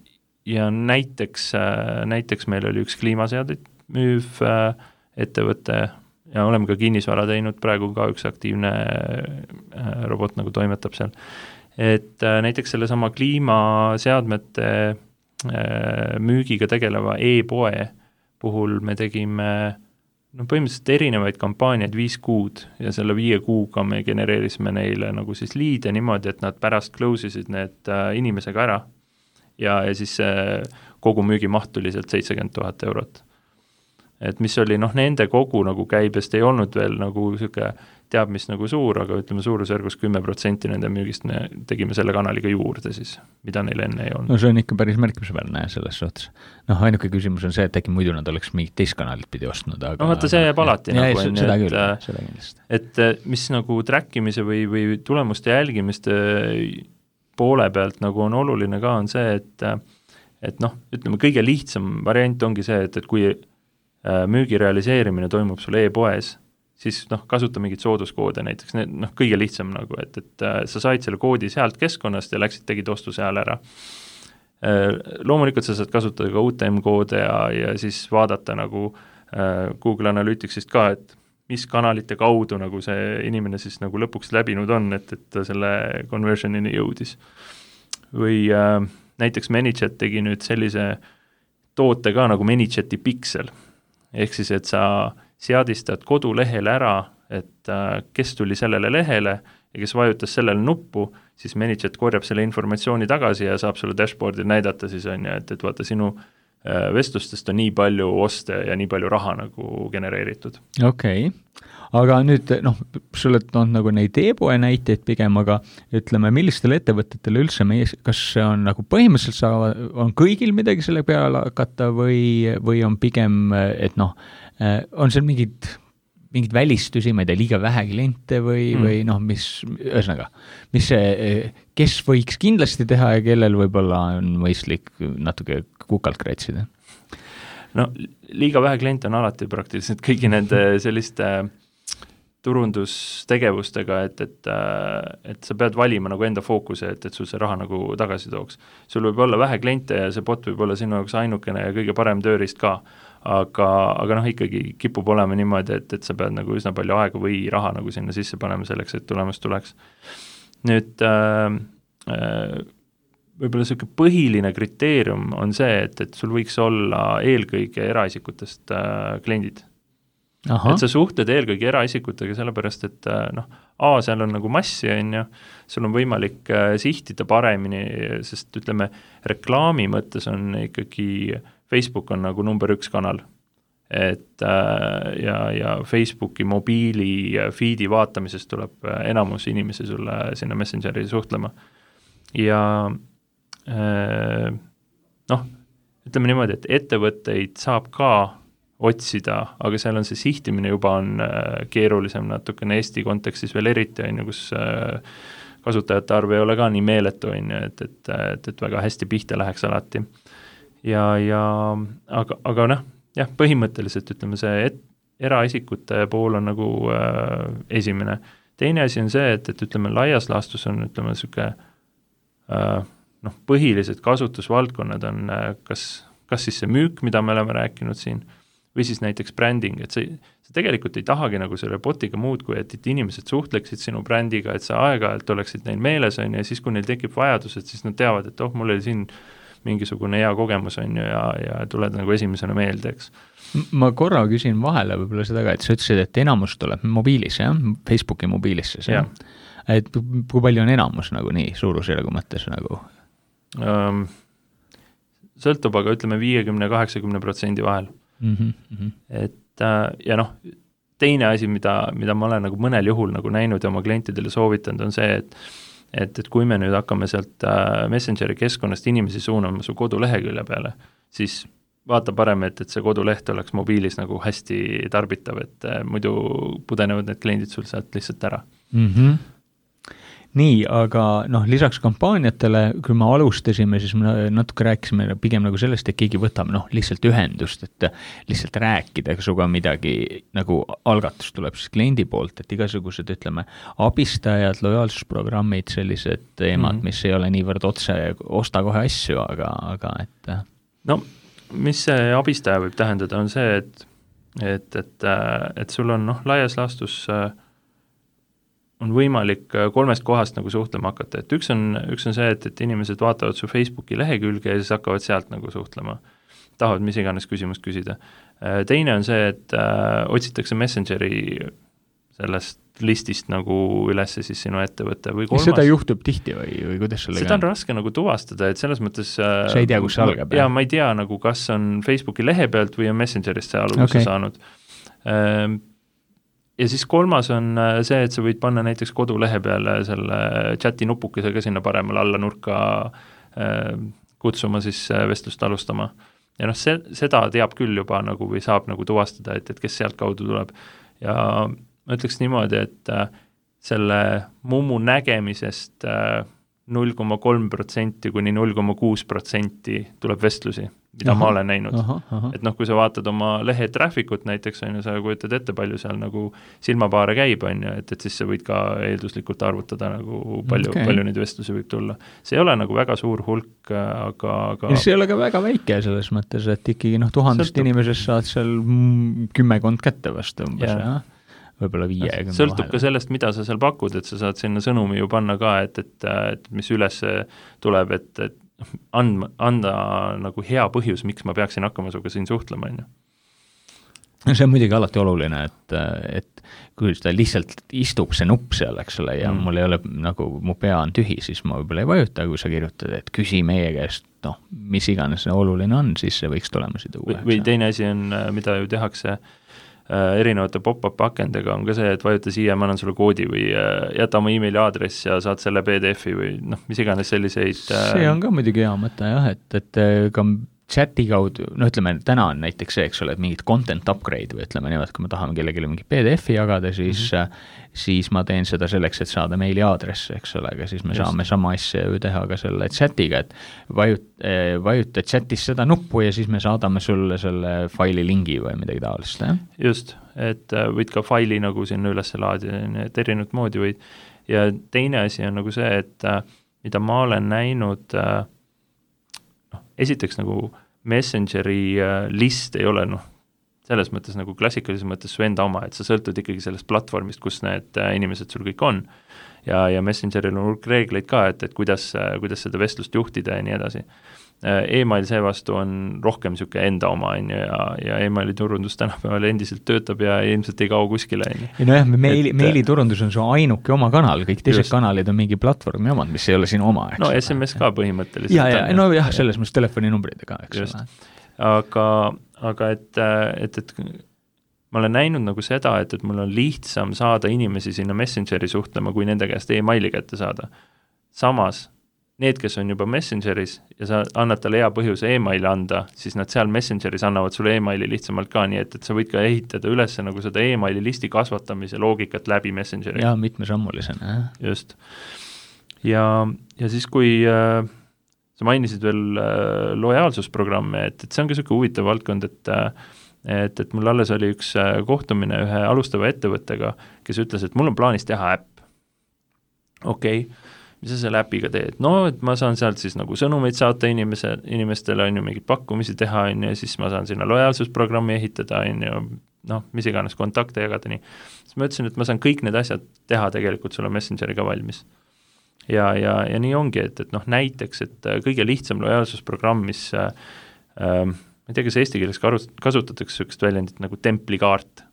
ja näiteks, äh, näiteks meil oli üks kliimaseadeid müüv äh, ettevõte ja oleme ka kinnisvara teinud, praegu ka üks aktiivne robot nagu toimetab seal. Et näiteks selle sama kliimaseadmete müügiga tegeleva e-poe puhul me tegime no põhimõtteliselt erinevaid kampaaniaid viis kuud ja selle viie kuuga me genereerisime neile nagu siis liide niimoodi, et nad pärast close isid need inimesega ära ja, ja siis kogu müügimaht tuli sealt seitsekümmend tuhat eurot. Et mis oli, noh, nende kogu nagu käibest ei olnud veel nagu siuke teab, mis nagu suur, aga ütleme suurusjärgus kümme protsenti nende müügist me tegime selle kanaliga juurde siis, mida neil enne ei olnud. No see on ikka päris märkimisväärne selles suhtes. Noh, ainuke küsimus on see, et äkki muidu nad oleks mingit teist kanalit pidi ostnud, aga... No vaata, see jääb alati ja, nagu... Ja, on, seda et, küll, seda kindlasti. Et mis nagu trackimise või, või tulemuste jälgimiste poole pealt nagu on oluline ka, on see, et, et noh, ütleme, kõige lihtsam variant ongi see, et, et kui müügi realiseerimine toimub sul e-poes, siis noh, kasuta mingit sooduskoode näiteks, noh, kõige lihtsam nagu, et, et sa said selle koodi sealt keskkonnast ja läksid, tegid ostu seal ära. Loomulikult sa saad kasutada ka U T M-koode ja, ja siis vaadata nagu Google Analyticsist ka, et mis kanalite kaudu nagu see inimene siis nagu lõpuks läbinud on, et, et ta selle conversionini jõudis. Või äh, näiteks ManyChat tegi nüüd sellise toote ka nagu ManyChati Pixel, ehk siis, et sa seadistad kodulehele ära, et äh, kes tuli sellele lehele ja kes vajutas sellele nuppu, siis ManyChat korjab selle informatsiooni tagasi ja saab sulle dashboardil näidata siis on ja, et, et vaata sinu äh, vestlustest on nii palju oste ja nii palju raha nagu genereeritud. Okei, okay. Aga nüüd, noh, sulle on nagu neid e-poe näiteid pigem, aga ütleme, millistele ettevõtetele üldse meie, kas see on nagu põhimõtteliselt saava, on kõigil midagi selle peale hakata või, või on pigem, et noh, on seal mingid, mingid välistusi, ma ei tea, liiga vähe kliente või, mm. või noh, mis, ühesõnaga, mis see, kes võiks kindlasti teha ja kellel võib-olla on mõistlik natuke kukalt kratsida? No, liiga vähe kliente on alati praktiliselt kõigi nende selliste turundustegevustega, et, et, et sa pead valima nagu enda fookuse, et, et sul see raha nagu tagasi tooks. Sul võib olla vähe kliente ja see bot võib olla sinu jaoks ainukene ja kõige parem tööriist ka, aga, aga noh, ikkagi kipub olema niimoodi, et, et sa pead nagu üsna palju aega või raha nagu sinna sisse panema selleks, et tulemus tuleks. Nüüd äh, võib-olla selline põhiline kriteerium on see, et, et sul võiks olla eelkõige eraisikutest äh, kliendid. Aha. Et sa suhtled eelkõige eraisikutega sellepärast, et noh, A, seal on nagu massi, on ju, sul on võimalik sihtida paremini, sest ütleme, reklaami mõttes on ikkagi, Facebook on nagu number üks kanal, et ja, ja Facebooki mobiili feedi vaatamisest tuleb enamus inimesi sulle sinna Messengeri suhtlema ja noh, ütleme niimoodi, et ettevõtteid saab ka otsida, aga seal on see sihtimine juba on keerulisem natukene Eesti kontekstis veel eriti, on ju, kus kasutajate arv ei ole ka nii meeletu, on ju, et, et, et, et väga hästi pihta läheks alati. Ja, ja aga, aga noh, jah, põhimõtteliselt ütleme see, et eraisikute pool on nagu äh, esimene. Teine asi on see, et, et ütleme laias laastus on ütleme niisugune äh, noh, põhilised kasutusvaldkonnad on äh, kas, kas siis see müük, mida me oleme rääkinud siin, või siis näiteks bränding, et sa, sa tegelikult ei tahagi nagu selle botiga muud, kui et, et inimesed suhtleksid sinu brändiga, et sa aeg-ajalt oleksid neil meeles, on ju, ja siis, kui neil tekib vajadused, siis nad teavad, et oh, mul oli siin mingisugune hea kogemus, on ju, ja, ja tuled nagu esimesena meelde, eks. Ma korra küsin vahele võib-olla seda ka, et sa ütlesid, et enamus tuleb mobiilis, jah? Facebooki mobiilisse, see. Et kui palju on enamus nagu nii suurusjärgu mõttes nagu? Um, sõltub, aga ütleme viiekümne kaheksakümne protsendi vahel. Mm -hmm. Et ja noh, teine asi, mida, mida ma olen nagu mõnel juhul nagu näinud ja oma klientidele soovitanud, on see, et et, et kui me nüüd hakkame sealt Messengeri keskkonnast inimesi suunama su kodulehekülje peale, siis vaata parem, et, et see koduleht oleks mobiilis nagu hästi tarbitav, et muidu pudenevad need kliendid sul sealt lihtsalt ära. Mm -hmm. Nii, aga noh, lisaks kampaaniatele, kui me alustasime, siis me natuke rääkisime pigem nagu sellest, et keegi võtab noh, lihtsalt ühendust, et lihtsalt rääkida suga midagi, nagu algatus tuleb siis kliendi poolt, et igasugused, ütleme, abistajad, lojaalsusprogrammid, sellised teemad, mm -hmm. mis ei ole niivõrd otse, osta kohe asju, aga, aga et... No, mis see abistaja võib tähendada, on see, et, et, et, et sul on noh, laias laastus on võimalik kolmest kohast nagu suhtlema hakata, et üks on, üks on see, et, et inimesed vaatavad su Facebooki lehekülge ja siis hakkavad sealt nagu suhtlema, tahavad mis iganes küsimust küsida. Teine on see, et äh, otsitakse Messengeri sellest listist nagu ülesse siis sinu ettevõtte või kolmas. Seda juhtub tihti või, või kuidas sellega? Seda on raske nagu tuvastada, et selles mõttes äh, sa ei tea, kus see algab? Ja ma ei tea nagu, kas on Facebooki lehe pealt või on Messengerist see alguse okay. saanud. Äh, Ja siis kolmas on see, et sa võid panna näiteks kodulehe peale selle chati nupukesega sinna paremale alla nurka kutsuma siis vestlust alustama. Ja noh, see, seda teab küll juba nagu või saab nagu tuvastada, et, et kes sealt kaudu tuleb. Ja ma ütleks niimoodi, et selle mummu nägemisest null koma kolm protsenti kuni null koma kuus protsenti tuleb vestlusi, mida aha, ma olen näinud. Aha, aha. Et noh, kui sa vaatad oma lehe trafficut näiteks, on ju, sa kujutad ette, palju seal nagu silmapaare käib, on ju, et, et siis sa võid ka eelduslikult arvutada nagu palju, okay. palju neid vestlusi võib tulla. See ei ole nagu väga suur hulk, aga... aga... Ja see ei ole ka väga väike selles mõttes, et ikkagi noh, tuhandest Sõltub. inimesest saad seal kümmekond kätte vastu umbes, jah? Ja? Võib-olla viiekümne sõltub vahele. Ka sellest, mida sa seal pakud, et sa saad sinna sõnumi ju panna ka, et, et, et mis üles tuleb, et, et andma, anda nagu hea põhjus, miks ma peaksin hakkama suga siin suhtlema, on ju. See on muidugi alati oluline, et, et kui seda lihtsalt istub see nupp seal, eks ole, ja mm. mul ei ole nagu, mu pea on tühi, siis ma võib-olla ei vajuta, kui sa kirjutad, et küsi meie käest, noh, mis iganes see oluline on, siis see võiks tulemusi tuua. Või, või teine asi on, mida ju tehakse erinevate pop-up akendega on ka see, et vajuta siia, ma annan sulle koodi või jäta oma emaili aadress ja saad selle P D F-i või noh, mis iganes selliseid. See on ka muidugi hea mõte jah, et, et ka chati kaudu, no ütleme, täna on näiteks see, eks ole, et mingid content upgrade või ütleme niimoodi, kui me tahame kellelegi mingi P D F-i jagada, siis, mm -hmm. siis ma teen seda selleks, et saada meili aadresse, eks ole, aga siis me Just. saame sama asja ju teha ka selle chatiga, et vajut, vajuta chatis seda nuppu ja siis me saadame sulle selle faili lingi või midagi taolist, jah? Just, et võid ka faili nagu sinna üles laadida, et erinevat moodi võid. Ja teine asi on nagu see, et mida ma olen näinud, noh, esiteks nagu Messengeri list ei ole noh, selles mõttes nagu klassikalises mõttes su enda oma, et sa sõltud ikkagi sellest platvormist, kus need inimesed sul kõik on. Ja, ja Messengeril on hulk reegleid ka, et, et kuidas, kuidas seda vestlust juhtida ja nii edasi. E-mail seevastu on rohkem niisugune enda oma, on ju, ja, ja e-maili turundus tänapäeval endiselt töötab ja ilmselt ei kao kuskile. Ja no jah, meili, meili turundus on su ainuke oma kanal, kõik teised just. Kanalid on mingi platvormi omad, mis ei ole sinu oma. No S M S ka põhimõtteliselt. Ja, ja, no jah, selles mõttes telefoninumbrid ka, eks ole. Aga, aga et, et, et ma olen näinud nagu seda, et, et mul on lihtsam saada inimesi sinna Messengeri suhtlema, kui nende käest e-maili kätte saada. Samas need, kes on juba Messengeris ja sa annad talle hea põhjuse emaili anda, siis nad seal Messengeris annavad sulle emaili lihtsamalt ka, nii et, et sa võid ka ehitada üles nagu seda emaili listi kasvatamise loogikat läbi Messengeri. Jaa, mitmesammulisena. Just. Ja, ja siis, kui äh, sa mainisid veel äh, lojaalsusprogramme, et, et see on ka selline huvitav valdkond, et äh, et, et mul alles oli üks äh, kohtumine ühe alustava ettevõttega, kes ütles, et mul on plaanis teha äpp. Okei, okay. Mis sa selle äpiga teed? No, et ma saan sealt siis nagu sõnumeid saata inimese, inimestele, on ju mingid pakkumisi teha, on ju, siis ma saan sinna lojaalsusprogrammi ehitada, on ju, noh, mis iganes kontakte jagada, nii. Siis ma ütlesin, et ma saan kõik need asjad teha tegelikult sulle Messengeriga valmis. Ja, ja, ja nii ongi, et, et noh, näiteks, et kõige lihtsam lojaalsusprogramm, mis äh, äh, ma ei tea, kas eesti keeles kasutatakse sellist väljendit nagu templikaart.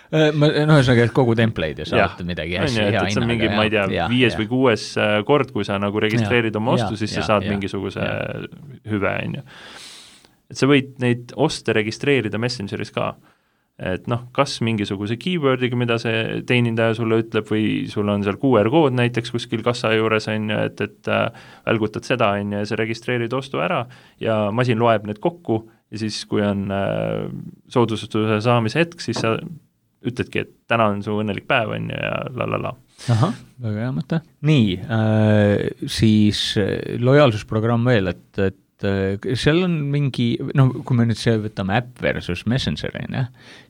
Ma, no ühesõnaga, et kogu template'i ja saad midagi hästi hea hinnaga. See on mingi, ma ei tea, ja, viies ja. Või kuues kord, kui sa nagu registreerid ja, oma ostu, ja, siis ja, sa saad ja, mingisuguse ja. Hüve, on ju. Et sa võid neid oste registreerida Messengeris ka. Et noh, kas mingisuguse keywordiga, mida see teenindaja sulle ütleb, või sul on seal Q R-kood näiteks kuskil kassa juures, on ju, et, et välgutad seda, on ju, ja sa registreerid ostu ära ja masin loeb need kokku ja siis, kui on äh, soodustuse saamise hetk, siis sa ütledki, et täna on su õnnelik päev, on ju, ja la la la. Ahah, väga hea mõte. Nii, äh, siis lojaalsusprogramm veel, et, et äh, seal on mingi, no kui me nüüd see võtame äpp versus Messenger, ne?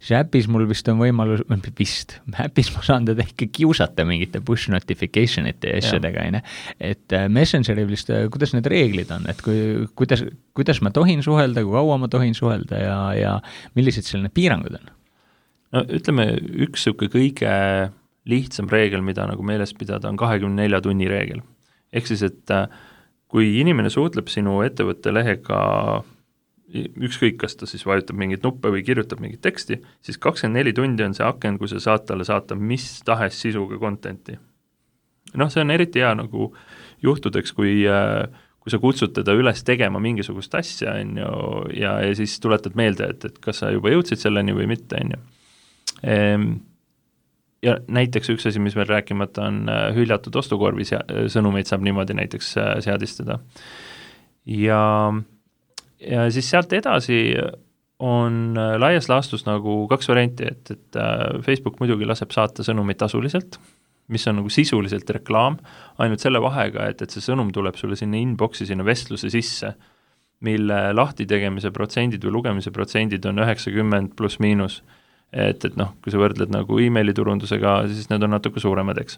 siis äpis mul vist on võimalus, vist, äpis ma saan teda ikka kiusata mingite push notificationite ja asjadega, ne? Et äh, Messengeri vist, kuidas need reeglid on, et kui, kuidas, kuidas ma tohin suhelda, kui kaua ma tohin suhelda ja, ja millised selline piirangud on? No ütleme, üks selline kõige lihtsam reegel, mida nagu meeles pidada, on kahekümne nelja tunni reegel. Ehk siis, et kui inimene suhtleb sinu ettevõtte lehega, ükskõik, kas ta siis vajutab mingit nuppe või kirjutab mingit teksti, siis kakskümmend neli tundi on see aken, kui sa saad talle saata mis tahes sisuga contenti. Noh, see on eriti hea nagu juhtudeks, kui kui sa kutsud teda üles tegema mingisugust asja, on ju, ja, ja siis tuletad meelde, et, et kas sa juba jõudsid selleni või mitte, on ju. Ja näiteks üks asi, mis veel rääkimata on hüljatud ostukorvi sõnumeid saab niimoodi näiteks seadistada. Ja, ja siis sealt edasi on laias laastus nagu kaks varianti, et, et Facebook muidugi laseb saata sõnumeid tasuliselt, mis on nagu sisuliselt reklaam, ainult selle vahega, et, et see sõnum tuleb sulle sinna inboxi, sinna vestluse sisse, mille lahti tegemise protsendid või lugemise protsendid on üheksakümmend pluss miinus. Et, et noh, kui sa võrdled nagu emaili turundusega, siis need on natuke suuremad, eks.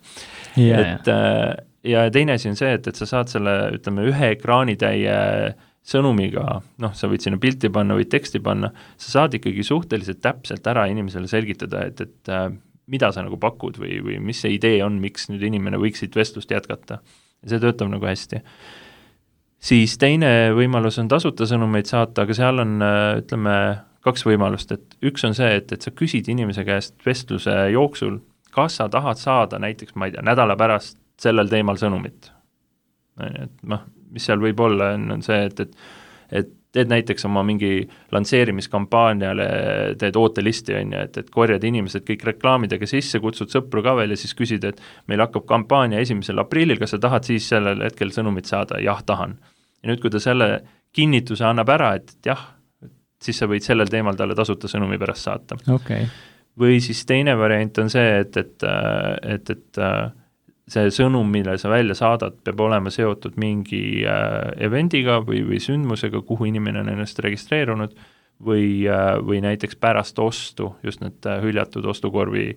Yeah, et, ja teine asi on see, et, et sa saad selle, ütleme, ühe ekraanitäie sõnumiga, noh, sa võid sinna pilti panna, võid teksti panna, sa saad ikkagi suhteliselt täpselt ära inimesele selgitada, et, et mida sa nagu pakud või, või mis see idee on, miks nüüd inimene võiks siit vestlust jätkata. Ja see töötab nagu hästi. Siis teine võimalus on tasuta sõnumeid saata, aga seal on, ütleme, kaks võimalust, et üks on see, et, et sa küsid inimese käest vestluse jooksul, kas sa tahad saada näiteks, ma ei tea, nädala pärast sellel teemal sõnumit. Et noh, mis seal võib olla, on, on see, et, et, et teed näiteks oma mingi lansseerimiskampaaniale, teed ootelisti, on ju, et, et korjad inimesed kõik reklaamidega sisse, kutsud sõpru ka veel ja siis küsid, et meil hakkab kampaania esimesel aprillil, kas sa tahad siis sellel hetkel sõnumit saada? Jah, tahan. Ja nüüd, kui ta selle kinnituse annab ära, et, et jah, siis sa võid sellel teemal talle tasuta sõnumi pärast saata. Okay. Või siis teine variant on see, et, et, et, et see sõnum, mille sa välja saadad, peab olema seotud mingi evendiga või, või sündmusega, kuhu inimene on ennast registreerunud või, või näiteks pärast ostu, just need hüljatud ostukorvi,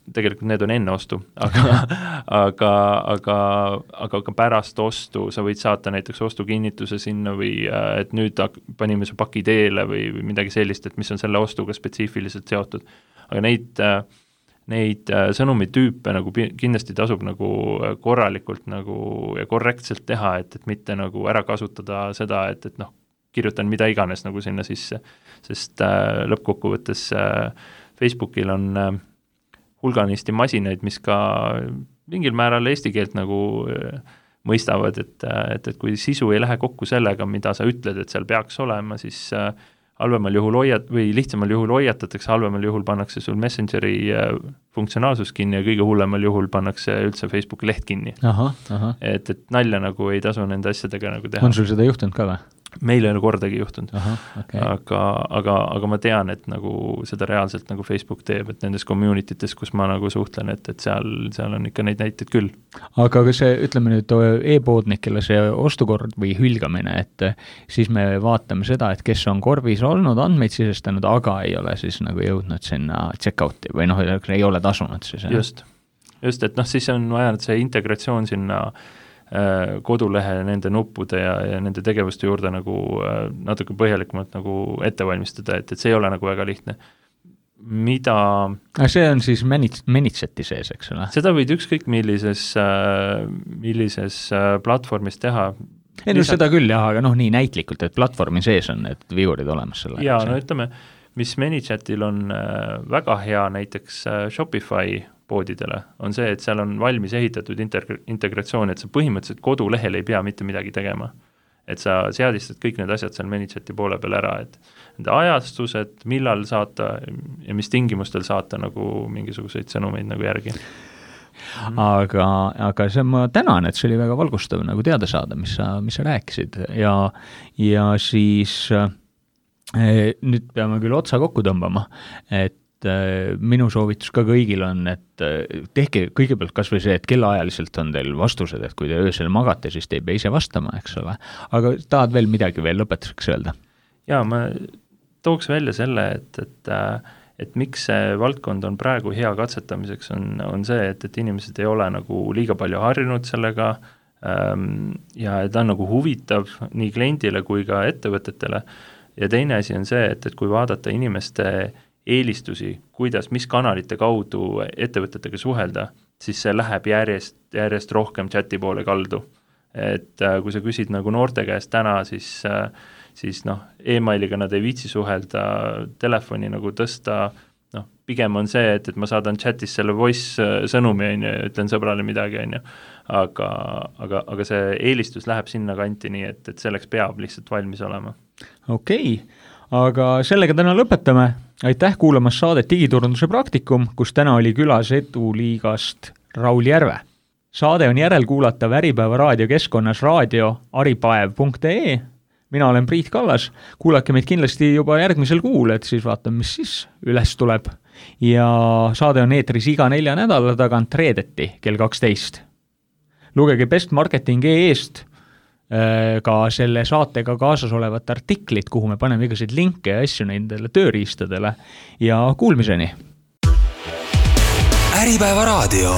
tegelikult need on enne ostu, aga, aga, aga, aga ka pärast ostu sa võid saata näiteks ostukinnituse sinna või et nüüd panime su paki teele või, või midagi sellist, et mis on selle ostuga spetsiifiliselt seotud. Aga neid, neid sõnumitüüpe nagu kindlasti tasub nagu korralikult nagu ja korrektselt teha, et, et mitte nagu ära kasutada seda, et, et noh, kirjutan mida iganes nagu sinna sisse, sest äh, lõppkokkuvõttes äh, Facebookil on äh, hulganisti masinaid, mis ka mingil määral eesti keelt nagu mõistavad, et, et, et kui sisu ei lähe kokku sellega, mida sa ütled, et seal peaks olema, siis halvemal juhul hoiat- või lihtsamal juhul hoiatatakse, halvemal juhul pannakse sul Messengeri funktsionaalsus kinni ja kõige hullemal juhul pannakse üldse Facebooki leht kinni. Aha, aha. Et, et nalja nagu ei tasu nende asjadega nagu teha. On sul seda juhtunud ka või? Meil ei ole kordagi juhtunud, Aha, okay. aga, aga, aga ma tean, et nagu seda reaalselt nagu Facebook teeb, et nendes communitytes, kus ma nagu suhtlen, et, et seal, seal on ikka neid näiteid küll. Aga kas see, ütleme nüüd e-poodnikele see ostukord või hülgamine, et siis me vaatame seda, et kes on korvis olnud, andmeid sisestanud, aga ei ole siis nagu jõudnud sinna check-out'i või noh, ei ole tasunud siis. Just, just, et noh, siis on vaja see integratsioon sinna kodulehe nende nuppude ja, ja nende tegevuste juurde nagu natuke põhjalikumalt nagu ette valmistada, et, et see ei ole nagu väga lihtne. Mida... See on siis Manitseti sees, eks ole? Seda võid ükskõik millises, millises platvormis teha. Ei, no seda küll jah, aga noh, nii näitlikult, et platvormi sees on need vigurid olemas selle. Jaa, no ütleme, mis Manitsetil on väga hea näiteks Shopify poodidele, on see, et seal on valmis ehitatud integ- integratsioon, et sa põhimõtteliselt kodulehel ei pea mitte midagi tegema. Et sa seadistad kõik need asjad seal Manitseti poole peal ära, et nende ajastused, millal saata ja mis tingimustel saata nagu mingisuguseid sõnumeid nagu järgi. Aga, aga see ma tänan, et see oli väga valgustav nagu teada saada, mis sa, mis sa rääkisid ja, ja siis eh, nüüd peame küll otsa kokku tõmbama, et minu soovitus ka kõigil on, et tehke kõigepealt kas või see, et kellaajaliselt on teil vastused, et kui te öösel magate, siis te ei pea ise vastama, eks ole. Aga tahad veel midagi veel lõpetuseks öelda? Jaa, ma tooks välja selle, et, et, et miks see valdkond on praegu hea katsetamiseks, on, on see, et, et inimesed ei ole nagu liiga palju harjunud sellega ja ta on nagu huvitav nii kliendile kui ka ettevõtetele. Ja teine asi on see, et, et kui vaadata inimeste eelistusi, kuidas, mis kanalite kaudu ettevõtetega suhelda, siis see läheb järjest, järjest rohkem chati poole kaldu. Et kui sa küsid nagu noorte käest täna, siis, siis noh, e-mailiga nad ei viitsi suhelda, telefoni nagu tõsta, noh, pigem on see, et, et ma saadan chatis selle voice sõnumi, on ju, ja ütlen sõbrale midagi, on ju. Aga, aga, aga see eelistus läheb sinna kanti nii, et, et selleks peab lihtsalt valmis olema. Okei, aga sellega täna lõpetame. Aitäh kuulamas saadet Digiturunduse praktikum, kus täna oli külas Eduliigast Raul Järve. Saade on järelkuulatav Äripäeva raadiokeskkonnas raadio aripaev punkt ee. Mina olen Priit Kallas. Kuulake meid kindlasti juba järgmisel kuul, et siis vaatame, mis siis üles tuleb. Ja saade on eetris iga nelja nädala tagant reedeti kell kaksteist. Lugege Best Marketing E-st ka selle saatega kaasas olevat artiklit, kuhu me paneme igasid linke ja asju nendele tööriistadele ja kuulmiseni. Äripäeva raadio.